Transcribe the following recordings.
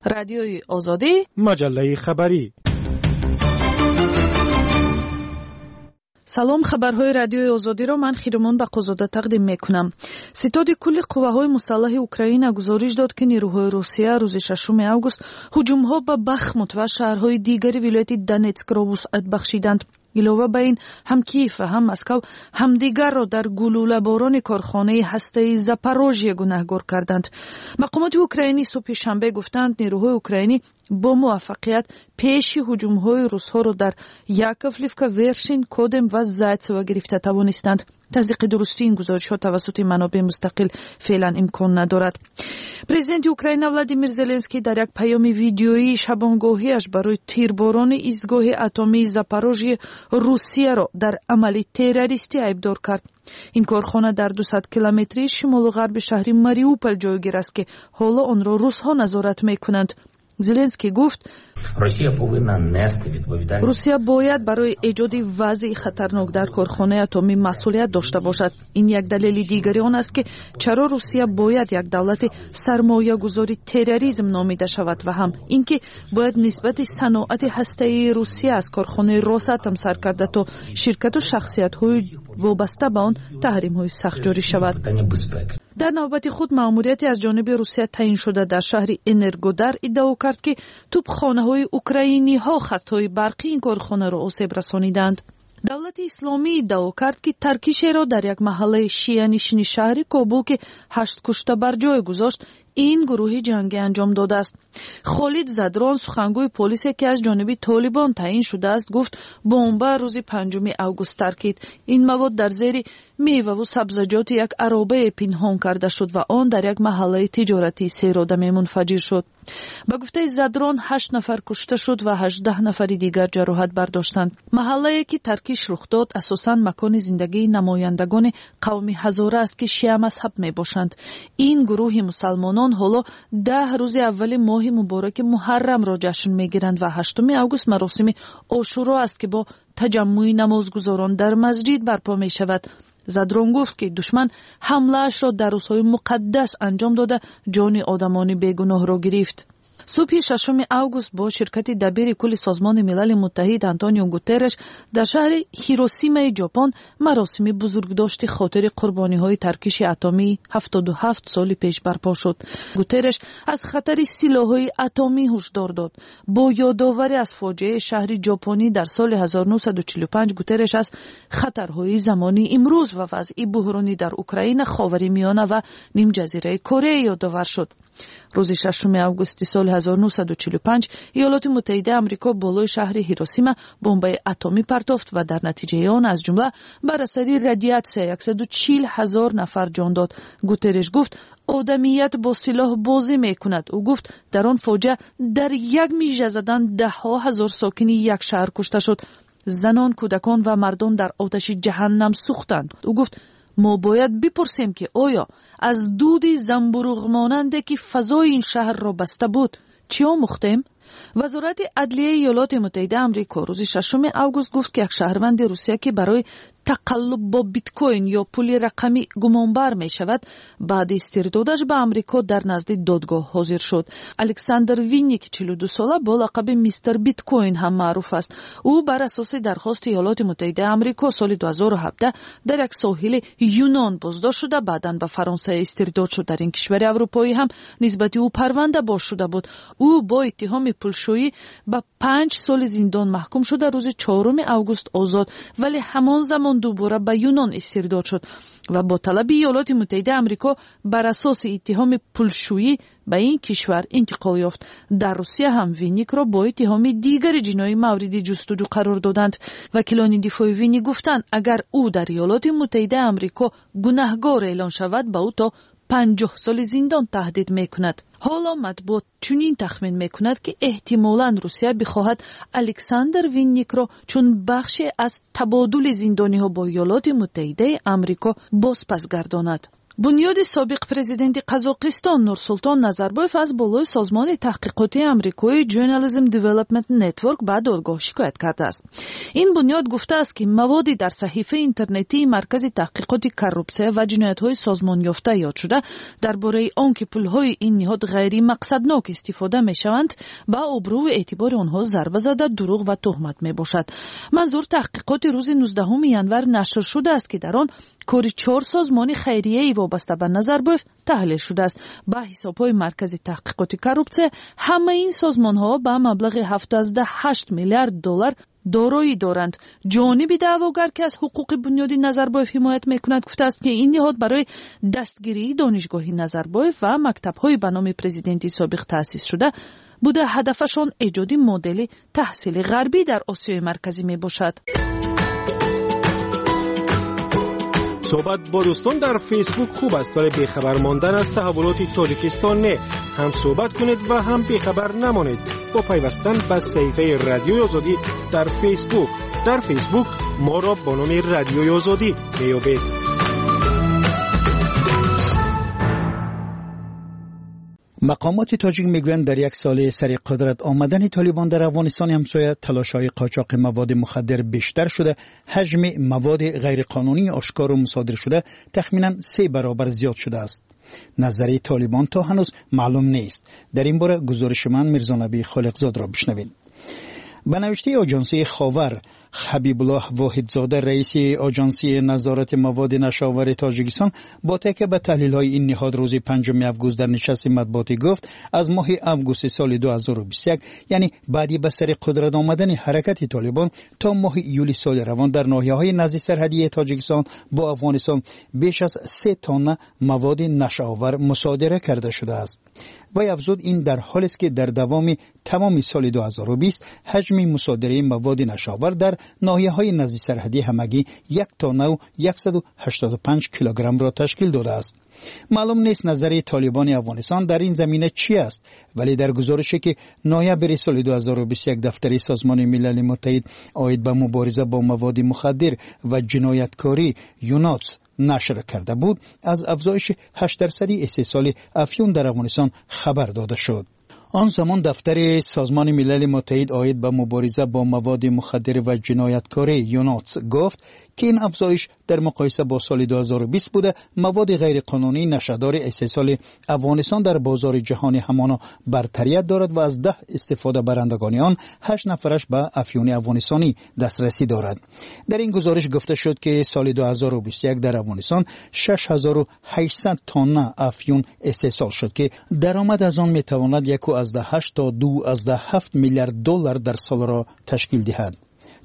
Радиои Озодӣ, маҷаллаи хабарӣ. Салом, хабарҳои Радиои Озодиро ман Хиромон Бақозода тақдим мекунам. Ситоди кулли қувваҳои мусаллаҳи Украина гузориш дод, ки нерӯҳои Русия рӯзи 6 август ҳуҷумҳо ба Бахмут ва шаҳрҳои дигари вилояти Донетскро вусъат бахшиданд. Илова ба ин, ҳам Киев ва ҳам Москав ҳамдигарро дар гулӯлаборони корхонаи ҳастаи Запорожье гунаҳгор карданд. Мақомоти украинӣ субҳи шанбе гуфтанд, нерӯҳои украинӣ бо муваффақият пеши ҳуҷумҳои русҳоро дар Яковлевка, Вершин, Кодем ва Зайцево гирифта тавонистанд. Тасдиқи дурустии ин гузоришҳо тавассути манобеи мустақил феълан имкон надорад. Президенти Украина Владимир Зеленский дар як паёми видеоии шабонгоҳиаш барои тирборони истгоҳи атомии Запорожье Русияро дар амали террористӣ айбдор кард. Ин корхона дар 200 километрии шимолу ғарби шаҳри Мариупол ҷойгир аст, ки ҳоло онро русҳо назорат мекунанд. Зеленский гуфт: Русия бояд барои эҷоди вазъи хатарнок дар корхонаи атомӣ масъулият дошта бошад. Ин як далели дигари он аст, ки чаро Русия бояд як давлати сармоягузори терроризм номида шавад ва ҳам ин ки бояд нисбати саноати ҳастаии Русия аз корхонаи Росатом сар карда то ширкату шахсиятҳои вобаста ба он таҳримҳои сахт ҷорӣ шавад. Дар навбати худ, маъмурияте аз ҷониби Русия таъин шуда дар шаҳри Энергодар иддао кард, ки тӯбхонаҳои украиниҳо хаттҳои барқи ин корхонаро осеб расониданд. Давлати Исломӣ иддао кард, ки таркишеро дар як маҳаллаи шианишини шаҳри Кобул, ки ҳашт кушта бар ҷой гузошт, ин гурӯҳи ҷангӣ анҷом додааст. Холид Задрон, сухангӯи полисе, ки аз ҷониби Толибон таъин шудааст, гуфт, бомба рӯзи 5 август таркид. Ин мавод дар зери меваву сабзаҷоти як аробае пинҳон карда шуд ва он дар як маҳаллаи тиҷоратии серодаме мунфаҷир шуд. Ба гуфтаи Задрон, ҳашт нафар кушта шуд ва 18 нафари дигар ҷароҳат бардоштанд. Маҳаллае, ки таркиш рух дод, асосан макони зиндагии намояндагони қавми ҳазора аст, ки шиамазҳаб мебошанд. Ин гурӯҳи мусалмонон ҳоло 10 рӯзи аввали моҳи мубораки Муҳаррамро ҷашн мегиранд ва 8 август маросими Ошуро аст, ки бо таҷаммӯи намозгузорон дар масҷид барпо мешавад. Задрон гуфт, ки душман ҳамлаашро дар рӯзҳои муқаддас анҷом дода, ҷони одамони бегуноҳро гирифт. Субҳи 6 август бо ширкати дабири кулли Созмони Милали Муттаҳид Антонио Гутерреш дар шаҳри Ҳиросимаи Ҷопон маросими бузургдошти хотири қурбониҳои таркиши атомии 77 соли пеш барпо шуд. Гутерреш аз хатари силоҳҳои атомӣ ҳушдор дод. Бо ёдоварӣ аз фоҷиаи шаҳри ҷопонӣ дар соли 1945, Гутерреш аз хатарҳои замони имрӯз ва вазъи буҳронӣ дар Украина, Ховари Миёна ва нимҷазираи Корея ёдовар шуд. Рӯзи 6 августи соли 1945 Иёлоти Муттаҳидаи Амрико болои шаҳри Ҳиросима бомбаи атомӣ партофт ва дар натиҷаи он, аз ҷумла бар асари радиатсия, 140 ҳазор нафар ҷон дод. Гутерреш гуфт, одамият бо силоҳ бозӣ мекунад. Ӯ гуфт, дар он фоҷиа дар як мижа задан даҳҳо ҳазор сокини як шаҳр кушта шуд. Занон, кӯдакон ва мардон дар оташи ҷаҳаннам сӯхтанд. Ӯ гуфт, мо бояд бипурсем, ки оё аз дуди замбуруғмонанде, ки фазои ин шаҳрро баста буд, чӣ омӯхтем? Вазорати адлияи Иёлоти Муттаҳидаи Амрико рӯзи 6 август гуфт, ки як шаҳрванди Русия, ки барои тақаллуб бо биткоин ё пули рақамӣ гумонбар мешавад, баъди истирдодаш ба Амрико дар назди додгоҳ ҳозир шуд. Александр Винник, 42сола, бо лақаби Мистер Биткоин ҳам маъруф аст. Ӯ бар асоси дархости Иёлоти Муттаҳидаи Амрико соли 2017 дар як соҳили Юнон боздошт шуда, баъдан ба Фаронса истирдод шуд. Дар ин кишвари аврупоӣ ҳам нисбати ӯ парванда боз шуда буд. Ӯ бо иттиҳоми пулшӯӣ ба 5 соли зиндон маҳкум шуда, рӯзи 4 август озод, вале ҳамон замон дубора ба Юнон истирдод шуд ва бо талаби Иёлоти Муттаҳидаи Амрико бар асоси иттиҳоми пулшӯӣ ба ин кишвар интиқол ёфт. Дар Русия ҳам Винникро бо иттиҳоми дигари ҷиноӣ мавриди ҷустуҷӯ қарор доданд. Вакилони дифои Винник гуфтанд, агар ӯ дар Иёлоти Муттаҳидаи Амрико гунаҳгор эълон шавад, ба ӯ то 50 соли зиндон таҳдид мекунад. Ҳоло матбуот чунин тахмин мекунад, ки эҳтимолан Русия бихоҳад Александр Винникро чун бахше аз табодули зиндониҳо бо Иёлоти Муттаҳидаи Амрико бозпас гардонад. Бунёди собиқ президенти Қазоқистон Нурсултон Назарбоев аз болои созмони таҳқиқотии амрикоии Journalism Development Network ба додгоҳ шикоят кардааст. Ин бунёд гуфтааст, ки маводи дар саҳифаи интернетии Маркази таҳқиқоти коррупсия ва ҷиноятҳои созмонёфта ёд шуда дар бораи он ки пулҳои ин ниҳод ғайримақсаднок истифода мешаванд, ба обрӯву эътибори онҳо зарба зада, дурӯғ ва туҳмат мебошад. Манзур таҳқиқоти рӯзи 19 январ нашр шудааст, ки дар он кори 4 созмони хайрияи вобаста ба Назарбоев таҳлил шудааст. Ба ҳисобҳои Маркази таҳқиқоти коррупсия ҳамаи ин созмонҳо ба маблағи 7,8 миллиард доллар дороӣ доранд. Ҷониби даъвогар, ки аз ҳуқуқи бунёди Назарбоев ҳимоят мекунад, гуфтааст, ки ин ниҳод барои дастгирии донишгоҳи Назарбоев ва мактабҳои ба номи президенти собиқ таъсис шуда буда, ҳадафашон эҷоди модели таҳсили ғарбӣ дар Осиёи Марказӣ мебошад. Суҳбат бо дӯстон дар Фейсбук хуб аст, вале бехабар мондан аз таҳаввулоти Тоҷикистон не. Ҳам суҳбат кунед ва ҳам бехабар намонед бо пайвастан ба саҳифаи Радиои Озодӣ дар Фейсбук. Дар Фейсбук моро бо номи Радиои Озодӣ меёбед. Мақомоти тоҷик мегӯянд, дар як соли сари қудрат омадани Толибон дар Афғонистони ҳамсоя талошҳои қочоқи маводи мухаддир бештар шуда, ҳаҷми маводи ғайриқонунии ошкору мусодир шуда тахминан 3 баробар зиёд шудааст. Назари Толибон то ҳанӯз маълум нест. Дар ин бора гузориши ман Мирзонабӣ Холиқзодро бишнавед. Ба навиштаи оҷонсии Ховар, Ҳабибуллоҳ Воҳидзода, раиси оҷонсии назорати маводи нашъаовари Тоҷикистон, бо такя ба таҳлилҳои ин ниҳод рӯзи 5 август дар нишасти матбуотӣ гуфт, аз моҳи августи соли 2021, яъне баъди ба сари қудрат омадани ҳаракати Толибон, то моҳи июли соли равон дар ноҳияҳои назди сарҳадии Тоҷикистон бо Афғонистон беш аз 3 тонна маводи нашъаовар мусодира карда шудааст. Вай афзуд, ин дар ҳолест, ки дар давоми тамоми соли 2020 ҳаҷми мусодираи маводи нашъаовар дар ноҳияҳои назди сарҳадӣ ҳамагӣ 1 тоннаву 185 килограммро ташкил додааст. Маълум нест назари Толибони Афғонистон дар ин замина чӣ аст, вале дар гузорише ки ноябри соли 2021 дафтари Созмони Милали Муттаҳид оид ба мубориза бо маводи мухаддир ва ҷинояткорӣ ЮНОЦ нашр карда буд, аз афзоиши 8% истеҳсоли афюн дар Афғонистон хабар дода шуд. Он замон дафтари Созмони Милали Муттаҳид оид ба мубориза бо маводи мухаддир ва ҷинояткорӣ ЮНОЦ гуфт, ки ин афзоиш дар муқоиса бо соли 2020 буда, маводи ғайриқонунии нашъадори истеҳсоли Афғонистон дар бозори ҷаҳонӣ ҳамоно бартарият дорад ва аз 10 истифодабарандагони он 8 нафараш ба афюни афғонистонӣ дастрасӣ дорад. Дар ин гузориш гуфта шуд, ки соли 2021 дар Афғонистон 6800 тонна афюн истеҳсол шуд, ки даромад аз он метавонад 1,8 то 2,7 миллиард доллар дар солро ташкил диҳад.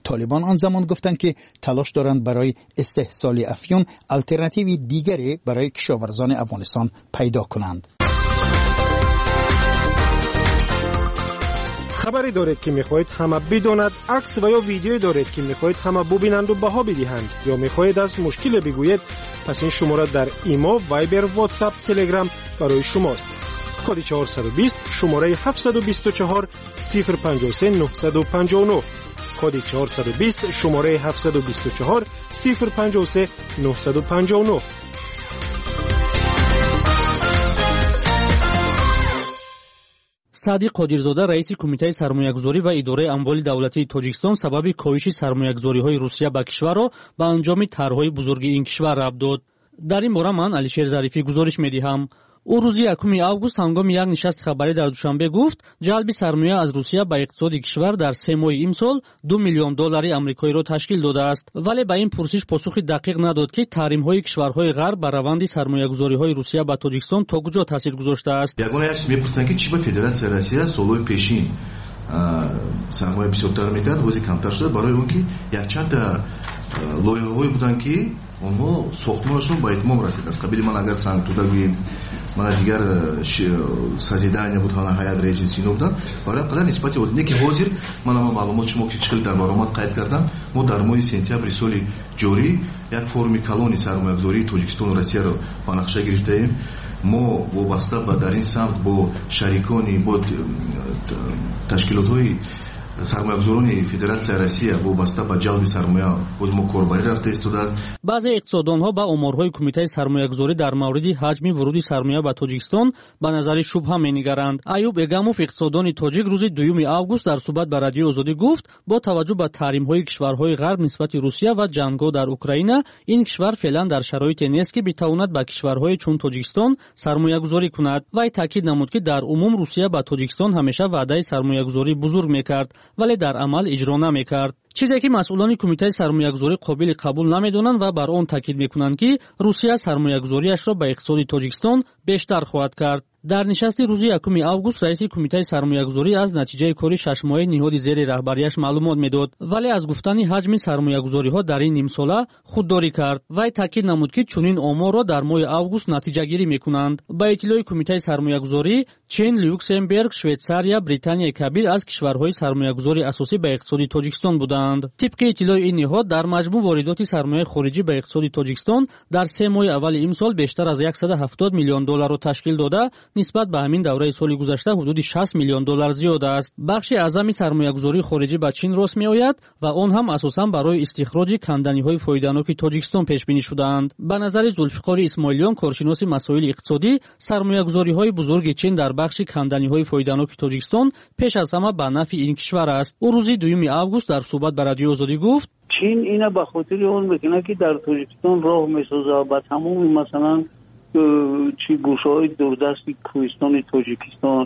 Толибон он замон гуфтанд, ки талош доранд барои истеҳсоли афюн алтернативи дигаре барои кишоварзони Афғонистон пайдо кунанд. Хабаре доред, ки мехоҳед ҳама бидонад, акс ва ё видеое доред, ки мехоҳед ҳама бубинанду баҳо бидиҳанд, ё мехоҳед аз мушкиле бигӯед, пас ин шумора дар Имо, Вайбер, Ватсап, Телеграм барои шумост. Коди 420, шумораи 724 053 959. Коди 420, шумораи 724 053 959. Саъди Қодирзода, раиси Кумитаи сармоягузорӣ ва идораи амволи давлатии Тоҷикистон, сабаби коҳиши сармоягузориҳои Русия ба кишварро ба анҷоми тарҳҳои бузурги ин кишвар рабт дод. Дар ин бора ман Алишер Зарифӣ гузориш медиҳам. Ӯ рӯзи 1 август ҳангоми як нишасти хабарӣ дар Душанбе гуфт, ҷалби сармоя аз Русия ба иқтисоди кишвар дар 3 моҳи имсол 2 миллион доллари амрикоиро ташкил додааст. Вале ба ин пурсиш посухи дақиқ надод, ки таҳримҳои кишварҳои ғарб ба раванди сармоягузориҳои Русия ба Тоҷикистон то куҷо таъсир гузоштааст. Ягона як чиз мепурсанд, ки чӣ ба Федератсияи Россия солҳои пешин сармоя бисёртар мекард, ҳозир камтар шуда, барои он ки якчандта лоиҳаҳое буданд, ки онҳо сохтмонашон ба итмом расид. Аз қабили ман агар Сангтуда гӯем, мана дигар созидания буд, ҳана Ҳаят Редженси ино буданд, барои қадар нисбати не ки ҳозир ман ама маълумот шумо ки чӣ хел дар баромад қайд кардам, мо дар моҳи сентябри соли ҷорӣ як форуми калони сармоягузории Тоҷикистону Россияро ба нақша гирифтаем. Мо вобаста ба дар ин самт бо шарикони, бо ташкилотҳои Сармоягузорони Федератсияи Россия вобаста ба ҷалби сармоя боз мо корбарӣ рафта истодааст. Баъзе иқтисоддонҳо ба оморҳои Кумитаи сармоягузорӣ дар мавриди ҳаҷми вуруди сармоя ба Тоҷикистон ба назари шубҳа менигаранд. Аюб Эгамов, иқтисоддони тоҷик, рӯзи 2 август дар суҳбат ба Радиои Озодӣ гуфт, бо таваҷҷӯҳ ба таҳримҳои кишварҳои ғарб нисбати Русия ва ҷангҳо дар Украина, ин кишвар феълан дар шароите нест, ки битавонад ба кишварҳое чун Тоҷикистон сармоягузорӣ кунад. Вай таъкид намуд, ки дар умум Русия ба Тоҷикистон ҳамеша ваъдаи сармоягузории бузург мекард, вале дар амал иҷро намекард. Чизе ки масъулони Кумитаи сармоягузорӣ қобили қабул намедонанд ва бар он таъкид мекунанд, ки Русия сармоягузориашро ба иқтисоди Тоҷикистон бештар хоҳад кард. Дар нишасти рӯзи 1 август раиси Кумитаи сармоягузорӣ аз натиҷаи кори шашмоҳаи ниҳоди зери раҳбарияш маълумот медод, вале аз гуфтани ҳаҷми сармоягузориҳо дар ин нимсола худдорӣ кард. Вай таъкид намуд, ки чунин оморро дар моҳи август натиҷагирӣ мекунанд. Ба иттилои Кумитаи сармоягузорӣ, Чин, Люксемберг, Швейтсария, Британияи Кабир аз кишварҳои сармоягузори асосӣ ба иқтисоди Тоҷикистон буданд. Тибқи иттилои ин ниҳод, дар маҷмӯъ воридоти сармояи хориҷӣ ба иқтисоди Тоҷикистон дар 3 моҳи аввали имсол бештар аз 170 миллион долларро ташкил дода, нисбат ба ҳамин давраи соли гузашта ҳудуди 60 миллион доллар зиёд аст. Бахши аъзами сармоягузории хориҷӣ ба Чин рост меояд ва он ҳам асосан барои истихроҷи канданиҳои фоиданоки Тоҷикистон пешбинӣ шудаанд. Ба назари Зулфиқори Исмоилиён, коршиноси масоили иқтисодӣ, сармоягузориҳои бузурги Чин дар бахши канданиҳои фоиданоки Тоҷикистон пеш аз ҳама ба нафъи ин кишвар аст. Ӯ рӯзи 2 август дар суҳбат ба Радиои Озодӣ гуфт: Чин ина ба хотири он мекунад, ки дар Тоҷикистон роҳ месозад ба тамоми масалан чи гӯшаҳои дурдасти кӯҳистони Тоҷикистон.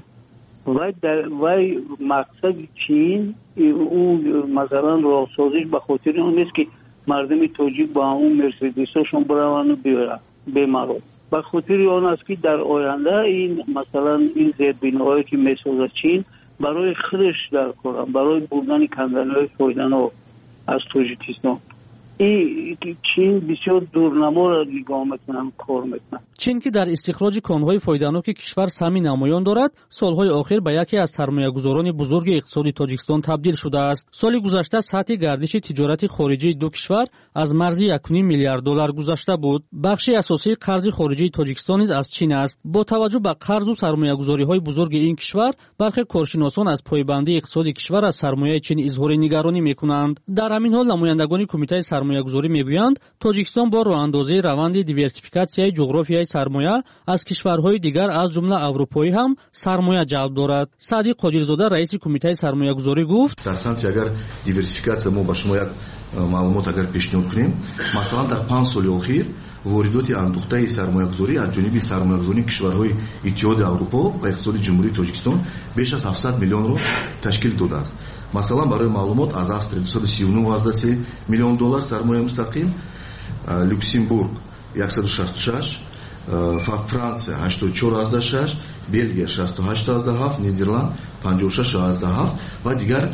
Вай мақсади Чин ӯ масалан роҳсозиш ба хотири он нест, ки мардуми тоҷик ба ҳамон мерседесҳошон бираванду биёянд бемаром. Ба хотири он аст, ки дар оянда ин масалан ин зербиноҳое ки месозад Чин барои худаш дар коранд, барои бурдани канданиҳои фоиданок аз Тоҷикистон. Чин бисёр дурнаморо нигоҳ мекунанд, кор мекунанд. Чин, ки дар истихроҷи конҳои фоиданоки кишвар саҳми намоён дорад, солҳои охир ба яке аз сармоягузорони бузурги иқтисоди Тоҷикистон табдил шудааст. Соли гузашта сатҳи гардиши тиҷорати хориҷии ду кишвар аз марзи 1,5 миллиард доллар гузашта буд. Бахши асосии қарзи хориҷии Тоҷикистон низ аз Чин аст. Бо таваҷҷӯҳ ба қарзу сармоягузориҳои бузурги ин кишвар, бархе коршиносон аз пойбандии иқтисоди кишвар аз сармояи Чин изҳори нигаронӣ мекунанд. Дар ҳамин ҳол намояндагони Кумитаи сармоягузорӣ мегӯянд, Тоҷикистон бо роҳандозии раванди диверсификатсияи ҷуғрофияи сармоя аз кишварҳои дигар, аз ҷумла аврупоӣ ҳам сармоя ҷалб дорад. Саъди Қодирзода, раиси Кумитаи сармоягузорӣ гуфт: дар самти агар диверсификатсия мо ба шумо як маълумот агар пешниҳод кунем, масалан дар 5 соли охир воридоти андӯхтаи сармоягузорӣ аз ҷониби сармоягузории кишварҳои Иттиҳоди Аврупо ва иқтисоди Ҷумҳурии Тоҷикистон беш аз 700 миллионро ташкил додааст. Масалан, барои маълумот, аз Австрия 239,3 миллион доллар сармояи мустақим, Люксембург 166, Франция 84,6, Белгия 68,7, Нидерланд 56,7 ва дигар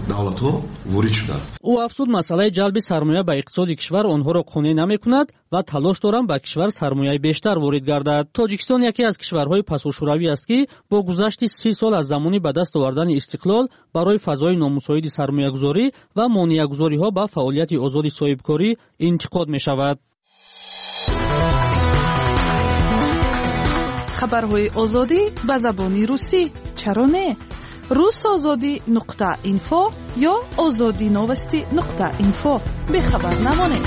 давлатҳо ворид шуданд. Ӯ афзуд, масъалаи ҷалби сармоя ба иқтисоди кишвар онҳоро қонеъ намекунад ва талош доранд ба кишвар сармояи бештар ворид гардад. Тоҷикистон яке аз кишварҳои пасошӯравӣ аст, ки бо гузашти 30 сол аз замони ба даст овардани истиқлол барои фазои номусоиди сармоягузорӣ ва монеагузориҳо ба фаъолияти озоди соҳибкорӣ интиқод мешавад. Хабарҳои Озодӣ ба забони русӣ чаро не? Русозодӣ.инфо ё озодиновости.инфо. Бехабар намонед.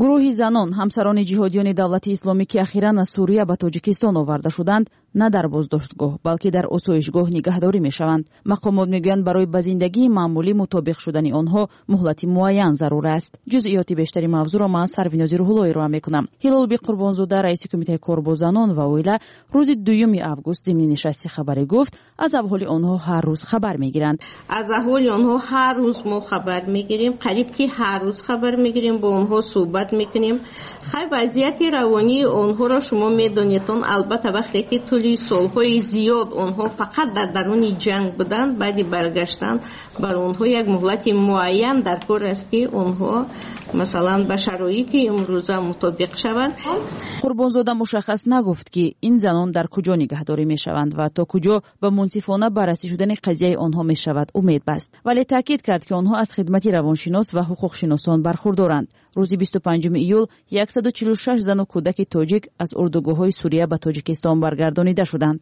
Гурӯҳи занон, ҳамсарони ҷиҳодиёни давлати исломӣ, ки ахиран аз Сурия ба Тоҷикистон оварда шуданд, на дар боздоштгоҳ, балки дар осоишгоҳ нигаҳдорӣ мешаванд. Мақомот мегӯянд, барои ба зиндагии маъмулӣ мутобиқ шудани онҳо муҳлати муайян зарур аст. Ҷузъиёти бештари мавзӯъро ман Сарвинози Рӯҳулло ироа мекунам. Ҳилолби Қурбонзода, раиси Кумитаи кор бо занон ва оила, рӯзи 2 август зимни нишасти хабарӣ гуфт, аз аҳволи онҳо ҳар рӯз хабар мегиранд. Аз аҳволи онҳо ҳар рӯз мо хабар мегирем, қариб ки ҳар рӯз хабар мегирем, бо онҳо суҳбат мекунем. Хай, вазъияти равонии онҳоро шумо медонед, он албатта вақте ки тӯли тӯли солҳои зиёд онҳо фақат дар даруни ҷанг буданд, баъди баргаштан бар онҳо як муҳлати муайян дар кор аст, ки онҳо масалан ба шароити имрӯза мутобиқ шаванд. Қурбонзода мушаххас нагуфт, ки ин занон дар куҷо нигаҳдорӣ мешаванд ва то куҷо ба мунсифона баррасӣ шудани қазияи онҳо мешавад умед баст, вале таъкид кард, ки онҳо аз хидмати равоншинос ва ҳуқуқшиносон бархурдоранд. Рӯзи 25 июл 146 зану кӯдаки тоҷик аз урдугоҳҳои Сурия ба Тоҷикистон баргардонида шуданд.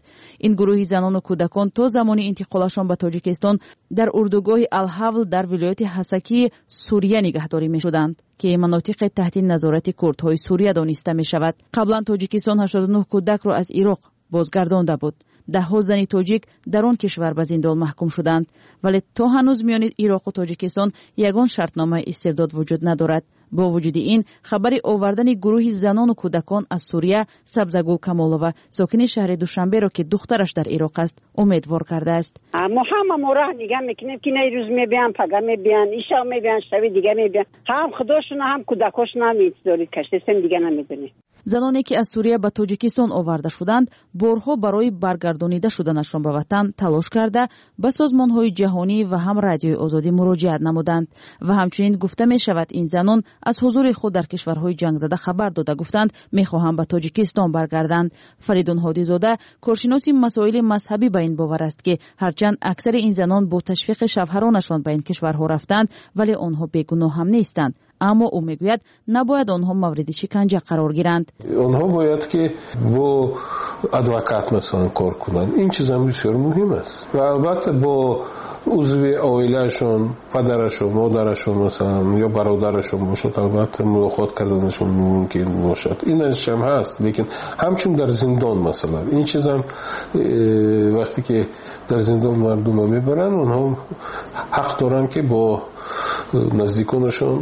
Ин гурӯҳи занону кӯдакон то замони интиқолашон ба Тоҷикистон дар урдугоҳи Алҳавл дар вилояти Ҳасакии Сурия нигаҳдорӣ мешуданд, ки манотиқи таҳти назорати курдҳои Сурия дониста мешавад. Қаблан Тоҷикистон 89 кӯдакро аз Ироқ бозгардонда буд. Даҳҳо зани тоҷик дар он кишвар ба зиндон маҳкум шуданд, вале то ҳанӯз миёни Ироқу Тоҷикистон ягон шартномаи истирдод вуҷуд надорад. Бо вуҷуди ин, хабари овардани гурӯҳи занону кӯдакон аз Сурия Сабзагул Камолова, сокини шаҳри Душанберо, ки духтараш дар Ироқ аст, умедвор кардааст. Мо ҳама мо роҳ нигаҳ мекунем, ки на рӯз мебиям, пага мебиян, ишав мебиян, шаби дига мебиян. Ҳам худошуна, ҳам кӯдакошуна ҳам интизори каштесем, дига намедонем. Заноне ки аз Сурия ба Тоҷикистон оварда шуданд, борҳо барои баргардонида шуданашон ба ватан талош карда, ба созмонҳои ҷаҳонӣ ва ҳам Радиои Озодӣ муроҷиат намуданд. Ва ҳамчунин гуфта мешавад, ин занон аз ҳузури худ дар кишварҳои ҷангзада хабар дода, гуфтанд, мехоҳанд ба Тоҷикистон баргарданд. Фаридун Ҳодизода, коршиноси масоили мазҳабӣ, ба ин бовар аст, ки ҳарчанд аксари ин занон бо ташвиқи шавҳаронашон ба ин кишварҳо рафтанд, вале онҳо бегуноҳ ҳам нестанд. Аммо ӯ мегӯяд, набояд онҳо мавриди шиканҷа қарор гиранд. Онҳо бояд ки бо адвокат масалан кор кунанд. Ин чизам бисёр муҳим аст. Ва албатта бо узви оилаашон, падарашон, модарашон масалан ё бародарашон бошад, албатта мулоқот карданашон мумкин бошад. Инашам ҳаст, лекин ҳамчун дар зиндон масалан ин чизам вақте ки дар зиндон мардумро мебаранд, онҳо ҳақ доранд ки бо наздиконашон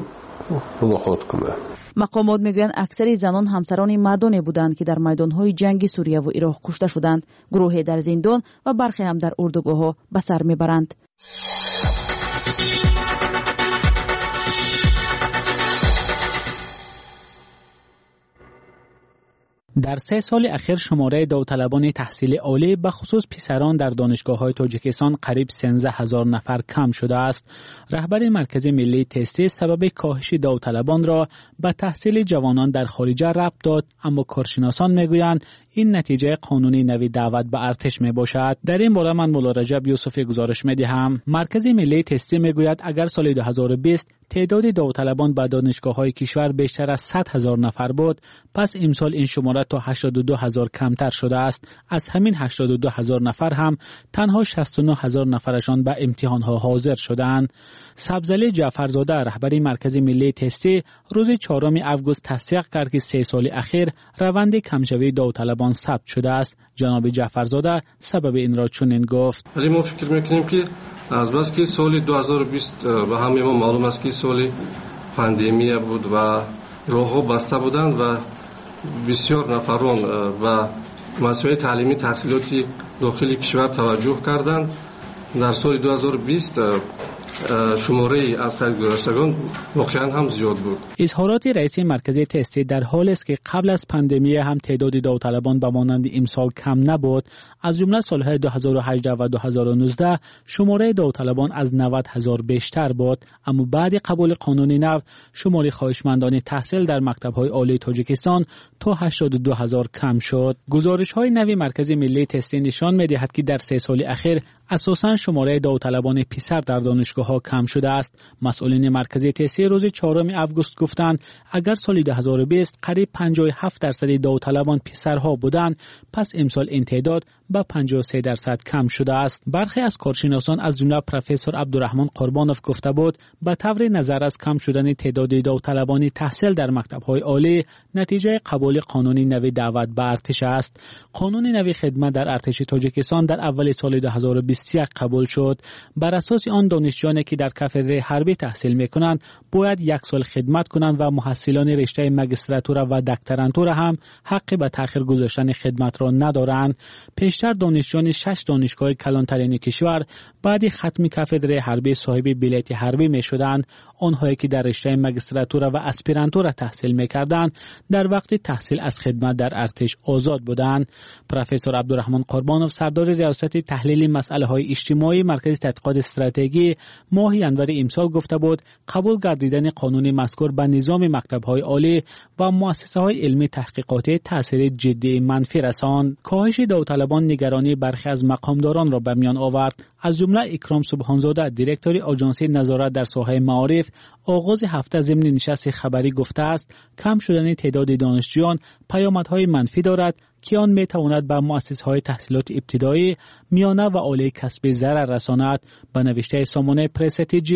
мулоқот кунанд. Мақомот мегӯянд, аксари занон ҳамсарони мардоне буданд, ки дар майдонҳои ҷанги Сурияву Ироқ кушта шуданд. Гурӯҳе дар зиндон ва бархе ҳам дар урдугоҳҳо ба сар мебаранд. Дар 3 соли ахир шумораи довталабони таҳсили олӣ, ба хусус писарон, дар донишгоҳҳои Тоҷикистон қариб 13 ҳазор нафар кам шудааст. Раҳбари Маркази миллии тестӣ сабаби коҳиши довталабонро ба таҳсили ҷавонон дар хориҷа рабт дод, аммо коршиносон мегӯянд, ин натиҷаи қонуни нави даъват ба артиш мебошад. Дар ин бора ман Мулло Раҷаб Юсуфӣ гузориш медиҳам. Маркази миллии тестӣ мегӯяд, агар соли 2020 теъдоди довталабон ба донишгоҳҳои кишвар бештар аз 100 ҳазор нафар буд, пас имсол ин шумора то 82 ҳазор камтар шудааст. Аз ҳамин 82 ҳазор нафар ҳам танҳо 69 ҳазор нафарашон ба имтиҳонҳо ҳозир шудаанд. Сабзалӣ Ҷаъфарзода, раҳбари Маркази миллии тестӣ, рӯзи 4 август тасдиқ кард, ки 3 соли ахир раванди камшавии довталабон сабт шудааст. Ҷаноби Ҷаъфарзода сабаби инро чунин гуфт: вале мо фикр мекунем, ки азбаски соли 2020 ба ҳамаи мо маълум аст, ки соли пандемия буд ва роҳҳо баста буданд ва бисёр нафарон ба масоили таълимӣ, таҳсилоти дохили кишвар таваҷҷӯҳ карданд. Дар соли 2020 шумораи аз қайд гузаштагон воқеан ҳам зиёд буд. Изҳороти раиси маркази тестӣ дар ҳолест, ки қабл аз пандемия ҳам теъдоди довталабон ба монанди имсол кам набуд. Аз ҷумла солҳои 2018 ва 2019 шумораи довталабон аз 90 ҳазор бештар буд, аммо баъди қабули қонуни нав шумори хоҳишмандони таҳсил дар мактабҳои олии Тоҷикистон то 82 ҳазор кам шуд. Гузоришҳои нави Маркази миллии тестӣ нишон медиҳад, ки дар 3 соли ахир асосан шумораи довталабони писар дар донишгоҳҳо кам шудааст. Масъулини Маркази тестӣ рӯзи 4 август гуфтанд, агар соли 2020 қариб 57% довталабон писарҳо буданд, пас имсол ин теъдод ба 53% кам шудааст. Бархе аз коршиносон, аз ҷумла профессор Абдураҳмон Қурбонов, гуфта буд, ба таври назар аз кам шудани теъдоди довталабони таҳсил дар мактабҳои олӣ натиҷаи қабули қонуни нави даъват ба артиш аст. Қонуни нави хидмат дар артиши Тоҷикистон дар аввали соли 2021 қабул шуд. Бар асоси он донишҷӯёне ки дар кафедраи ҳарбӣ таҳсил мекунанд, бояд 1 сол хидмат кунанд ва муҳассилони риштаи магистратура ва докторантура ҳам ҳаққи ба таъхир гузоштани хидматро надоранд. Пештар донишҷӯёни 6 донишгоҳи калонтарини кишвар баъди хатми кафедраи ҳарбӣ соҳиби билети ҳарбӣ мешуданд. Онҳое ки дар риштаи магистратура ва аспирантура таҳсил мекарданд, дар вақти таҳсил аз хидмат дар артиш озод буданд. Профессор Абдураҳмон Қурбонов, сардори риёсати таҳлили масъалаҳои иҷтимоии Маркази тадқиқоти стратегӣ, моҳи январи имсол гуфта буд, қабул гардидани қонуни мазкур ба низоми мактабҳои олӣ ва муассисаҳои илмӣ таҳқиқотӣ таъсири ҷиддии манфӣ расонд. Коҳиши довталабон нигаронии бархе аз мақомдоронро ба миён овард. Аз ҷумла Икром Субҳонзода, директори Оҷонсии назорат дар соҳаи маориф, оғози ҳафта зимни нишасти хабарӣ гуфтааст, кам шудани теъдоди донишҷӯён паёмадҳои манфӣ дорад, ки он метавонад ба муассисаҳои таҳсилоти ибтидоӣ, миёна ва олии касбӣ зарар расонад. Ба навиштаи сомонаи Пресса ТЖ,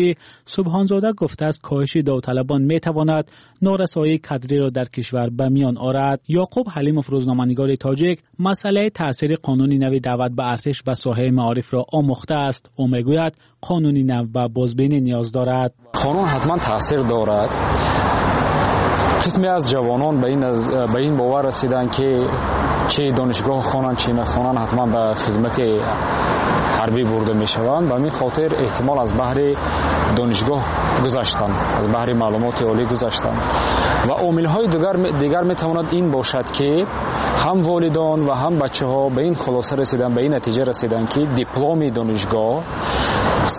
Субҳонзода гуфтааст, коҳиши довталабон метавонад норасоии кадриро дар кишвар ба миён орад. Ёқуб Ҳалимов, рӯзноманигори тоҷик, масъалаи таъсири қонуни нави даъват ба артиш ба соҳаи маорифро омӯхтааст. Ӯ мегӯяд, қонуни нав ба бозбинӣ ниёз дорад. Қонун ҳатман таъсир дорад. Қисме аз ҷавонон ба ин бовар расиданд, ки чӣ донишгоҳ хонанд, чӣ нахонанд, ҳатман ба хизмати ҳарбӣ бурда мешаванд. Ба ҳамин хотир эҳтимол аз баҳри донишгоҳ гузаштанд, аз баҳри маълумоти олӣ гузаштанд. Ва омилҳои дигар метавонад ин бошад, ки ҳам волидон ва ҳам бачаҳо ба ин хулоса расиданд, ба ин натиҷа расиданд, ки дипломи донишгоҳ,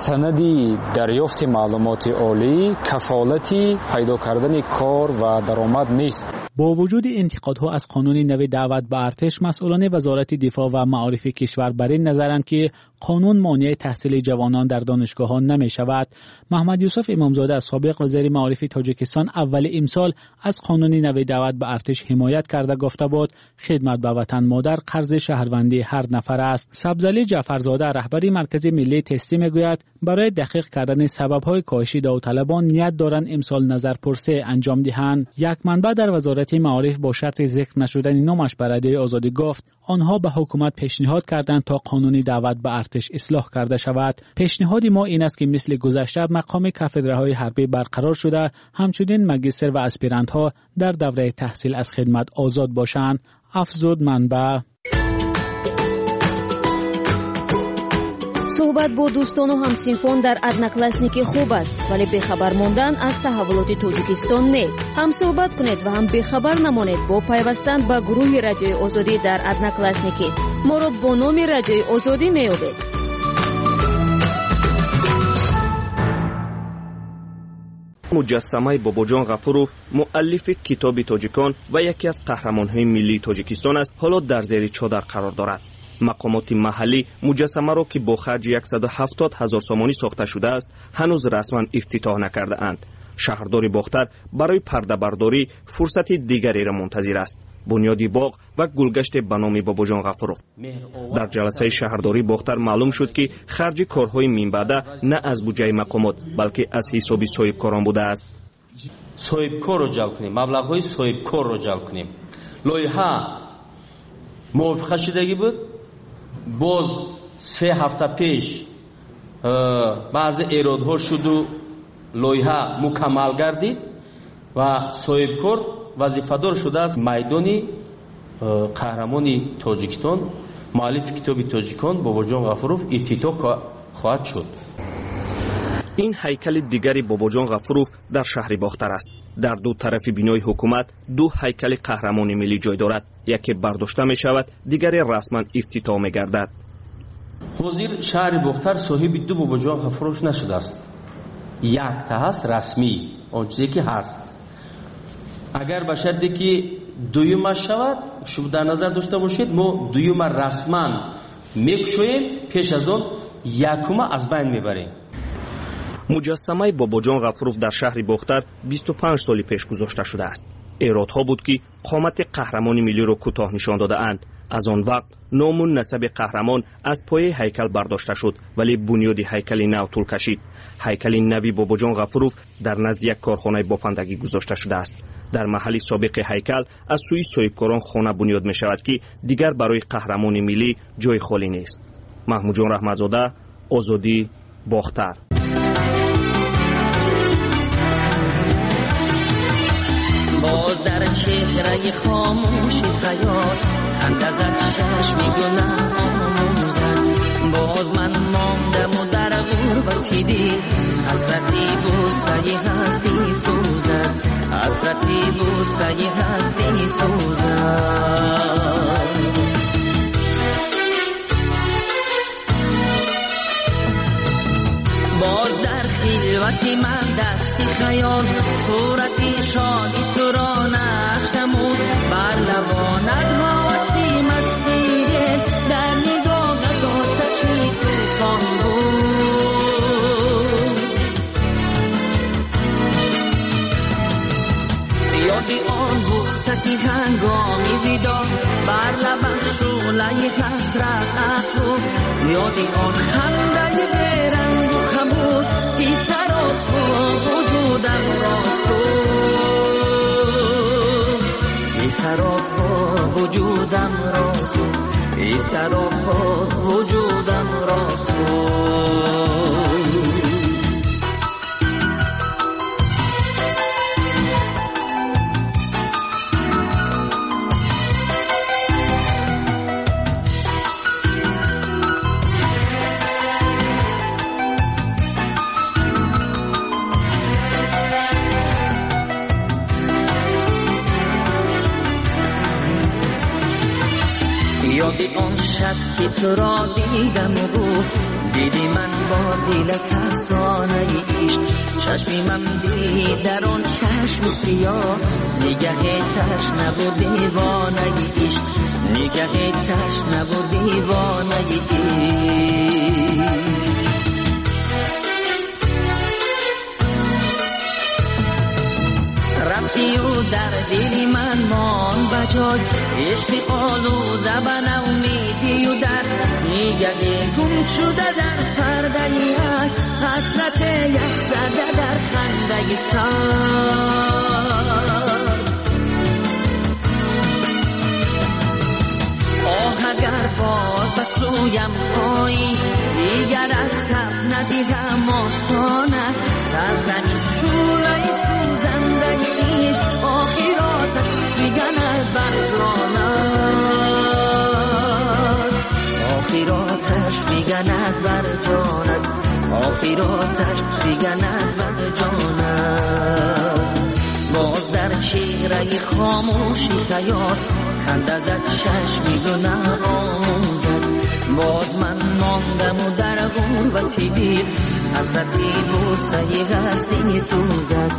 санади дарёфти маълумоти олӣ, кафолати пайдо кардани кор ва даромад нест. Бо вуҷуди интиқодҳо аз қонуни нави даъват ба артиш, масъулони Вазорати дифоъ ва маорифи кишвар бар ин назаранд, ки қонун монеи таҳсили ҷавонон дар донишгоҳҳо намешавад. Муҳаммад Юсуф Имомзода, собиқ вазири маорифи Тоҷикистон, аввали имсол аз қонуни нави даъват ба артиш ҳимоят карда гуфта буд, хидмат ба ватан модар қарзи шаҳрвандии ҳар нафар аст. Сабзалӣ Ҷаъфарзода, раҳбари Маркази миллии тестӣ, мегӯяд, барои дақиқ кардани сабабҳои коҳиши довталабон ният доранд имсол назарпурсӣ анҷом диҳанд. Як манбаъ дар Вазорати маориф бо шарти зикр нашудани номаш ба Радиои Озодӣ гуфт, онҳо ба ҳукумат пешниҳод карданд то қонуни даъват ба артиш ислоҳ карда шавад. Пешниҳоди мо ин аст, ки мисли гузашта мақоми кафедраҳои ҳарбӣ барқарор шуда, ҳамчунин магистр ва аспирантҳо дар давраи таҳсил аз хидмат озод бошанд, афзуд манбаъ. Суҳбат бо дӯстону ҳамсинфон дар Одноклассники хуб аст, вале бехабар мондан аз таҳаввулоти Тоҷикистон не. Ҳам суҳбат кунед ва ҳам бехабар намонед бо пайвастан ба гурӯҳи Радиои Озодӣ дар Одноклассники. Моро бо номи Радиои Озодӣ меёбед. Муҷассамаи Бобоҷон Ғафуров, муаллифи китоби тоҷикон ва яке аз қаҳрамонҳои миллии Тоҷикистон аст, ҳоло дар зери чодар қарор дорад. Мақомоти маҳаллӣ муҷассамаро, ки бо харҷи 170 ҳазор сомонӣ сохта шудааст, ҳанӯз расман ифтитоҳ накардаанд. Шаҳрдори Бохтар барои пардабардорӣ фурсати дигареро мунтазир аст: бунёди боғ ва гулгаште ба номи Бобоҷон Ғафуров. Дар ҷаласаи шаҳрдории Бохтар маълум шуд, ки харҷи корҳои минбаъда на аз буҷаи мақомот, балки аз ҳисоби соҳибкорон будааст. Соҳибкорро ҷалб кунем, маблағҳои соҳибкорро ҷалб кунем. Лоиҳа мувофиқа шудагӣ буд. Боз 3 ҳафта пеш баъзе эродҳо шуду лоиҳа мукаммал гардид ва соҳибкор вазифадор шудааст майдони қаҳрамони Тоҷикистон, муаллифи китоби тоҷикон Бобоҷон Ғафуров ифтитоҳ хоҳад шуд. Ин ҳайкали дигари Бобоҷон Ғафуров дар шаҳри Бохтар аст. Дар ду тарафи бинои ҳукумат ду ҳайкали қаҳрамони миллӣ ҷой дорад. Яке бардошта мешавад, дигаре расман ифтитоҳ мегардад. Ҳозир шаҳри Бохтар соҳиби ду Бобоҷон Ғафуров нашудааст. Якта ҳаст расмӣ, он чизе ки ҳаст. Агар ба шарте ки дуюма шавад, шумо дар назар дошта бошед, мо дуюма расман мекушоем, пеш аз он якума аз байн мебарем. Муҷассамаи Бобоҷон Ғафуров дар шаҳри Бохтар 25 соли пеш гузошта шудааст. Эродҳо буд, ки қомати қаҳрамони миллиро кӯтоҳ нишон додаанд. Аз он вақт ному насаби қаҳрамон аз пояи ҳайкал бардошта шуд, вале бунёди ҳайкали нав тӯл кашид. Ҳайкали нави Бобоҷон Ғафуров дар назди як корхонаи бофандагӣ гузошта шудааст. Дар маҳалли собиқи ҳайкал аз сӯи соҳибкорон хона бунёд мешавад, ки дигар барои қаҳрамони миллӣ ҷои холӣ нест. Маҳмудҷон Раҳматзода, Озодӣ, Бохтар. Боз дар чеҳраи хомӯши хаёл ханда зад чашми гунаҳ омӯзад. Боз ман мондаму дар غربتی دل حسرتی بوسه هستی سوزد، حسرتی بوسه هستی سوزد. باز در خلوت من دستی خیال صورتی شادی تو را نقش نمود، بر لبانت هوسی مستی دل در نگاهت آتشی طوفان بود. یادی آن بوستی هنگامی ویدا بر لبم شعله حسرت افروخت، یادی آن خنده بیرنگ و خموش که سراپا وجودم را سوخت، که سراپا وجودم را سوخت، که سراپا وجودم را سوخت. یادی آن شب که تو را دیدم و گفت دیدی من با دلت افسانه عشق، چشمی من دید در آن چشم سیاه نگه تشنه و دیوانه عشق، نگه تشنه و دیوانه عشق. رفتی و در دل من مان بجای عشق آلوده به نومیدی و در نگه گم شده در پرده یک حسرت یک زده در خنده سار. آه اگر باز به سویم آیی دیگر از کف ندیدم آسانه، از زمین شعله سوزنده عشق آخراتش فگند بر جانت، آخراتش فگند بر جانت، آخراتش فگند بر جانت. باز در چهره خاموشی خیال خنده زد چشمی گناه آموزد، باز من ماندم و در غربتی دل حسرتی بوسه هستی سوزد،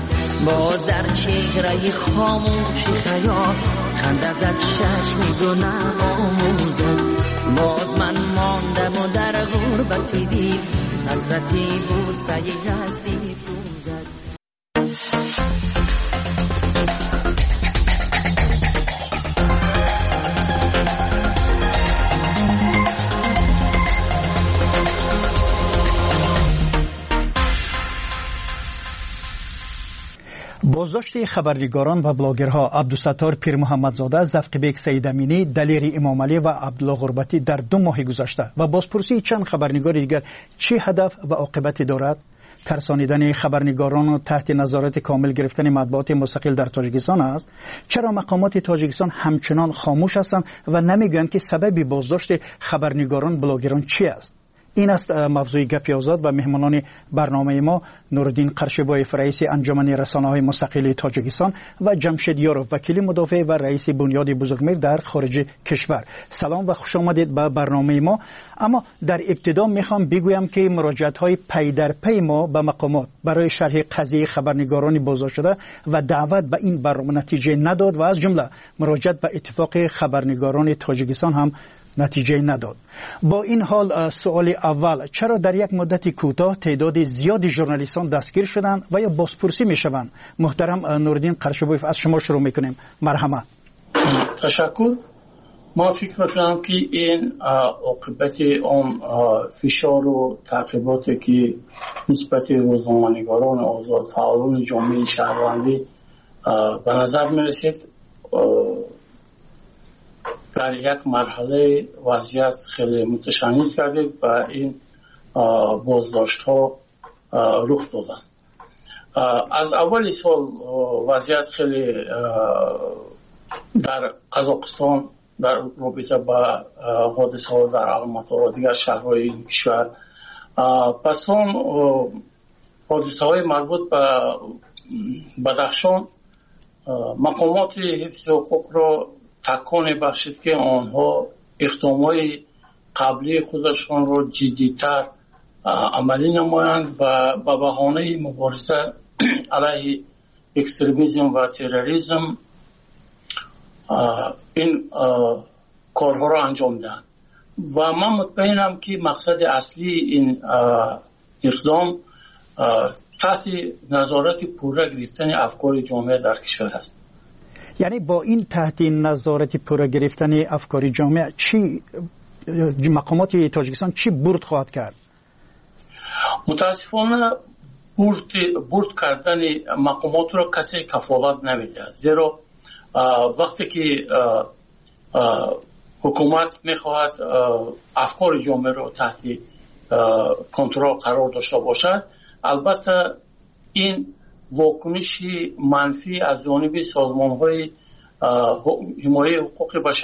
باز در چهره خاموشی خیال خنده زد چشمی گناه آموزد، باز من ماندم و در غربتی دل حسرتی بوسه هستی سوزد. боздошти хабарнигорон ва блогерҳо Абдусаттор Пирмуҳаммадзода, Завқибек Саидаминӣ, Далери Имомалӣ ва Абдулло Ғурбатӣ дар 2 моҳи гузашта ва бозпурсии чанд хабарнигори дигар чӣ ҳадаф ва оқибате дорад? Тарсонидани хабарнигорону таҳти назорати комил гирифтани матбуоти мустақил дар Тоҷикистон аст? Чаро мақомоти Тоҷикистон ҳамчунон хомӯш ҳастанд ва намегӯянд ки сабаби боздошти хабарнигорон блогерон чӣ аст? Ин аст мавзӯи гапи озод ва меҳмонони барномаи мо Нуриддин Қаршибоев, раиси анҷумани расонаҳои мустақили Тоҷикистон, ва Ҷамшед Ёров, вакили мудофеъ ва раиси бунёди Бузургмир дар хориҷи кишвар. Салом ва хуш омадед ба барномаи мо. Аммо дар ибтидо мехоҳам бигӯям ки муроҷиатҳои пайдарпайи мо ба мақомот барои шарҳи қазияи хабарнигорони боздоштшуда ва даъват ба ин барнома натиҷа надод ва аз ҷумла муроҷиат ба иттифоқи хабарнигорони Тоҷикистон ҳам натиҷа надод. Бо ин ҳол суоли аввал: чаро дар як муддати кӯтоҳ теъдоди зиёди журналистон дастгир шуданд ва ё бозпурсӣ мешаванд? Муҳтарам Нуриддин Қаршибоев, аз шумо шурӯъ мекунем. Марҳамат. Ташаккур. Ман фикр мекунам ки ин оқибати он фишору таъқиботе ки нисбати рӯзноманигорони озод, фаъолони ҷомеаи шаҳрвандӣ ба назар мерасид, дар як марҳалаи вазъият хеле муташанниҷ гардид ва ин боздоштҳо рух доданд. Аз аввали сол вазъият хеле дар Қазоқистон дар робита ба ҳодисаҳо дар Алмато ва дигар шаҳрҳои ин кишвар Пас он ҳодисаҳои марбут ба Бадахшон мақомоти ҳифзи ҳуқуқро таконе бахшид, ки онҳо иқдомҳои қаблии худашонро ҷиддитар амалӣ намоянд ва ба баҳонаи мубориза алайҳи экстремизм ва терроризм ин корҳоро анҷом диҳанд. Ва ман мутмаинам, ки мақсади аслии ин иқдом таҳти назорати пурра гирифтани афкори ҷомеа дар кишвар аст. Яъне бо ин таҳти назорати пурра гирифтани афкори ҷомеа чӣ мақомоти Тоҷикистон чӣ бурд хоҳад кард? Мутаассифона, бурд кардани мақомотро касе кафолат намедиҳад, зеро вақте ки ҳукумат мехоҳад афкори ҷомеаро таҳти контрол қарор дошта бошад, албатта ин вокуниши манфӣ аз ҷониби созмонҳои ҳимояи ҳуқуқи башар